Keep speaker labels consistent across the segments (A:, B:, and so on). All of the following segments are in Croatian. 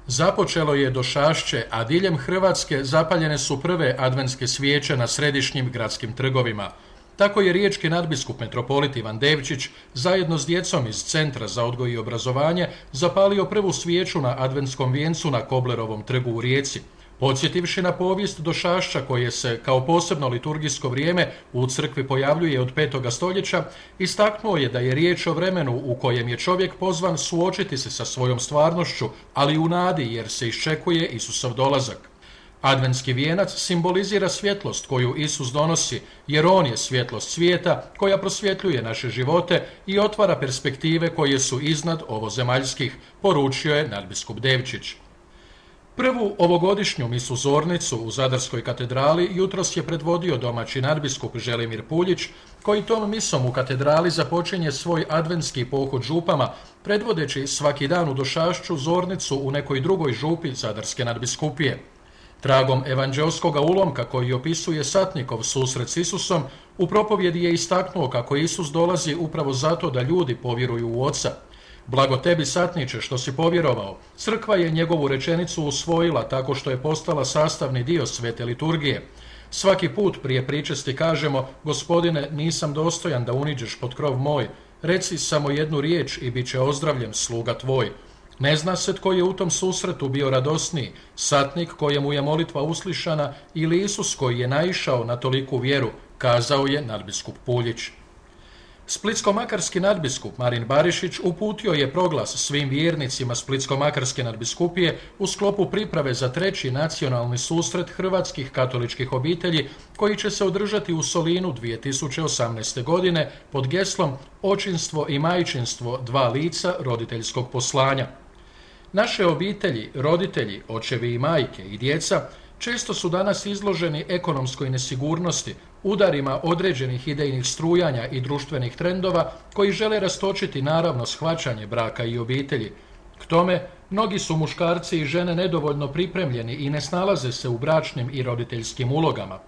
A: Započelo je došašće, a diljem Hrvatske zapaljene su prve adventske svijeće na središnjim gradskim trgovima. Tako je riječki nadbiskup metropolit Ivan Devčić zajedno s djecom iz Centra za odgoj i obrazovanje zapalio prvu svijeću na adventskom vijencu na Koblerovom trgu u Rijeci. Podsjetivši na povijest došašća koje se kao posebno liturgijsko vrijeme u crkvi pojavljuje od 5. stoljeća, istaknuo je da je riječ o vremenu u kojem je čovjek pozvan suočiti se sa svojom stvarnošću, ali u nadi jer se iščekuje Isusov dolazak. Adventski vijenac simbolizira svjetlost koju Isus donosi, jer on je svjetlost svijeta koja prosvjetljuje naše živote i otvara perspektive koje su iznad ovozemaljskih, poručio je nadbiskup Devčić. Prvu ovogodišnju misu zornicu u Zadarskoj katedrali jutros je predvodio domaći nadbiskup Želimir Puljić, koji tom misom u katedrali započinje svoj adventski pohod župama, predvodeći svaki dan u došašću zornicu u nekoj drugoj župi Zadarske nadbiskupije. Tragom evanđelskoga ulomka koji opisuje satnikov susret s Isusom, u propovjedi je istaknuo kako Isus dolazi upravo zato da ljudi povjeruju u Oca. Blago tebi, satniče, što si povjerovao. Crkva je njegovu rečenicu usvojila tako što je postala sastavni dio svete liturgije. Svaki put prije pričesti kažemo: Gospodine, nisam dostojan da uniđeš pod krov moj, reci samo jednu riječ i bit će ozdravljen sluga tvoj. Ne zna se tko je u tom susretu bio radosniji, satnik kojemu je molitva uslišana ili Isus koji je naišao na toliku vjeru, kazao je nadbiskup Puljić. Splitsko-makarski nadbiskup Marin Barišić uputio je proglas svim vjernicima Splitsko-makarske nadbiskupije u sklopu priprave za 3. nacionalni susret hrvatskih katoličkih obitelji koji će se održati u Solinu 2018. godine pod geslom Očinstvo i majčinstvo, dva lica roditeljskog poslanja. Naše obitelji, roditelji, očevi i majke i djeca često su danas izloženi ekonomskoj nesigurnosti, udarima određenih idejnih strujanja i društvenih trendova koji žele rastočiti naravno shvaćanje braka i obitelji. K tome, mnogi su muškarci i žene nedovoljno pripremljeni i ne snalaze se u bračnim i roditeljskim ulogama.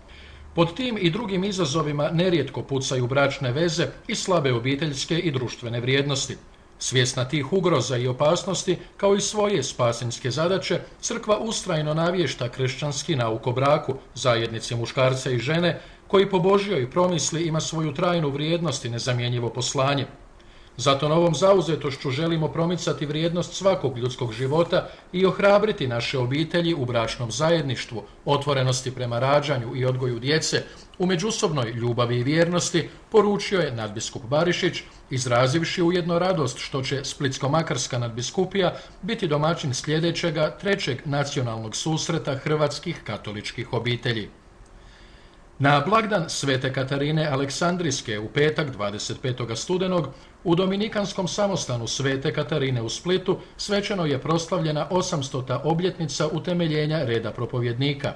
A: Pod tim i drugim izazovima nerijetko pucaju bračne veze i slabe obiteljske i društvene vrijednosti. Svjesna tih ugroza i opasnosti, kao i svoje spasinske zadaće, crkva ustrajno navješta kršćanski nauk o braku, zajednici muškarca i žene, koji po Božjoj promisli ima svoju trajnu vrijednost i nezamjenjivo poslanje. Zato novom zauzetošću želimo promicati vrijednost svakog ljudskog života i ohrabriti naše obitelji u bračnom zajedništvu, otvorenosti prema rađanju i odgoju djece, u međusobnoj ljubavi i vjernosti, poručio je nadbiskup Barišić, izrazivši ujedno radost što će Splitsko-makarska nadbiskupija biti domaćin sljedećega 3. nacionalnog susreta hrvatskih katoličkih obitelji. Na blagdan Svete Katarine Aleksandrijske u petak 25. studenog u Dominikanskom samostanu Svete Katarine u Splitu svečano je proslavljena 800. obljetnica utemeljenja reda propovjednika.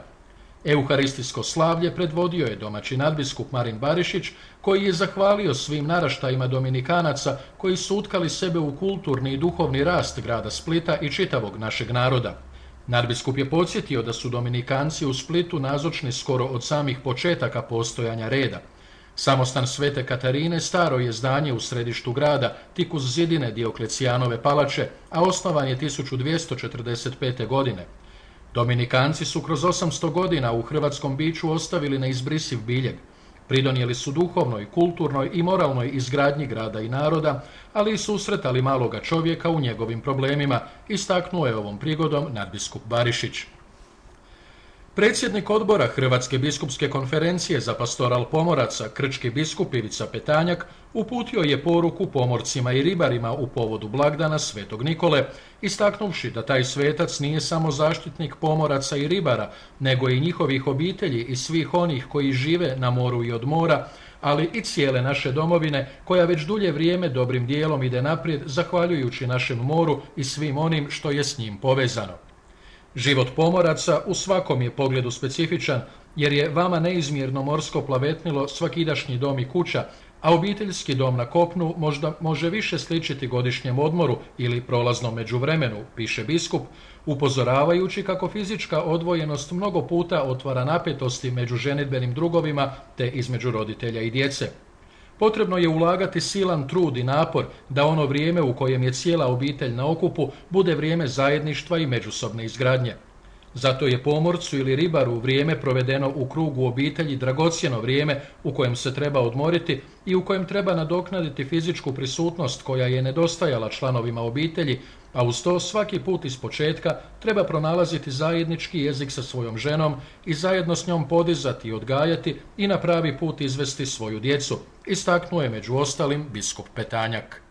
A: Euharistijsko slavlje predvodio je domaći nadbiskup Marin Barišić, koji je zahvalio svim naraštajima Dominikanaca koji su utkali sebe u kulturni i duhovni rast grada Splita i čitavog našeg naroda. Nadbiskup je podsjetio da su Dominikanci u Splitu nazočni skoro od samih početaka postojanja reda. Samostan Svete Katarine staro je zdanje u središtu grada, tik uz zidine Dioklecijanove palače, a osnovan je 1245. godine. Dominikanci su kroz 800 godina u hrvatskom biću ostavili neizbrisiv biljeg. Pridonijeli su duhovnoj, kulturnoj i moralnoj izgradnji grada i naroda, ali i susretali maloga čovjeka u njegovim problemima, istaknuo je ovom prigodom nadbiskup Barišić. Predsjednik odbora Hrvatske biskupske konferencije za pastoral pomoraca, krčki biskup Ivica Petanjak, uputio je poruku pomorcima i ribarima u povodu blagdana Svetog Nikole, istaknuvši da taj svetac nije samo zaštitnik pomoraca i ribara, nego i njihovih obitelji i svih onih koji žive na moru i od mora, ali i cijele naše domovine, koja već dulje vrijeme dobrim dijelom ide naprijed zahvaljujući našem moru i svim onim što je s njim povezano. Život pomoraca u svakom je pogledu specifičan, jer je vama neizmjerno morsko plavetnilo svakidašnji dom i kuća, a obiteljski dom na kopnu možda može više sličiti godišnjem odmoru ili prolaznom međuvremenu, piše biskup, upozoravajući kako fizička odvojenost mnogo puta otvara napetosti među ženidbenim drugovima te između roditelja i djece. Potrebno je ulagati silan trud i napor da ono vrijeme u kojem je cijela obitelj na okupu bude vrijeme zajedništva i međusobne izgradnje. Zato je pomorcu ili ribaru vrijeme provedeno u krugu obitelji dragocjeno vrijeme u kojem se treba odmoriti i u kojem treba nadoknaditi fizičku prisutnost koja je nedostajala članovima obitelji, a uz to svaki put ispočetka treba pronalaziti zajednički jezik sa svojom ženom i zajedno s njom podizati i odgajati i na pravi put izvesti svoju djecu, istaknuo je među ostalim biskup Petanjak.